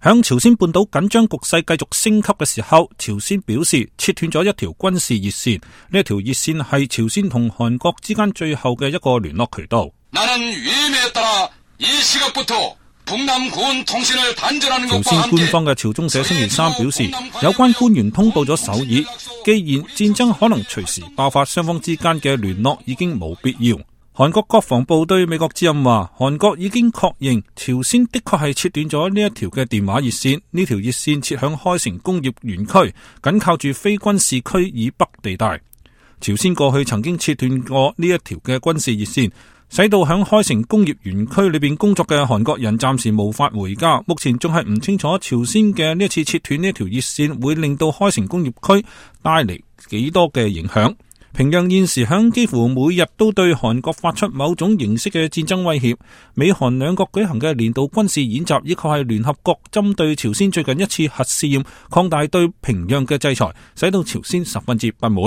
響朝鮮半島緊張局勢繼續升級嘅時候，朝鮮表示切斷咗一條軍事熱線，呢一條熱線係朝鮮同韓國之間最後嘅一個聯絡渠道。朝鮮官方嘅朝中社星期三表示，有關官員通報咗首爾，既然戰爭可能隨時爆發，雙方之間嘅聯絡已經冇必要。韓國國防部對美國之音話，韓國已經確認朝鮮的確係切斷咗呢一條嘅電話熱線，呢條熱線設響開城工業園區，緊靠住非軍事區以北地帶。朝鮮過去曾經切斷過呢一條嘅軍事熱線，使到響開城工業園區裏邊工作嘅韓國人暫時無法回家。目前仲係唔清楚朝鮮嘅呢一次切斷呢一條熱線會令到開城工業區帶嚟幾多嘅影響。平壤現時響幾乎每日都對韓國發出某種形式嘅戰爭威脅，美韓兩國舉行嘅年度軍事演習，以及係聯合國針對朝鮮最近一次核試驗擴大對平壤嘅制裁，使到朝鮮十分之不滿。